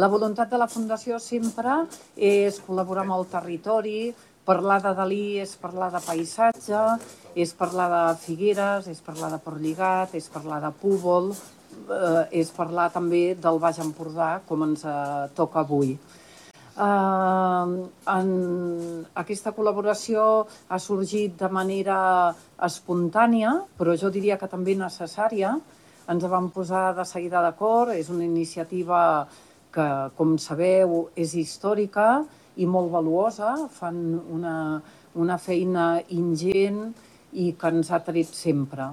La voluntat de la Fundació sempre és col·laborar amb el territori. Parlar de Dalí és parlar de paisatge, és parlar de Figueres, és parlar de Portlligat, és parlar de Púbol, és parlar també del Baix Empordà, com ens toca avui. Aquesta col·laboració ha sorgit de manera espontània, però jo diria que també necessària. Ens vam posar de seguida d'acord, és una iniciativa que, com sabeu, és històrica i molt valuosa, fan una feina ingent i que ens ha tret sempre.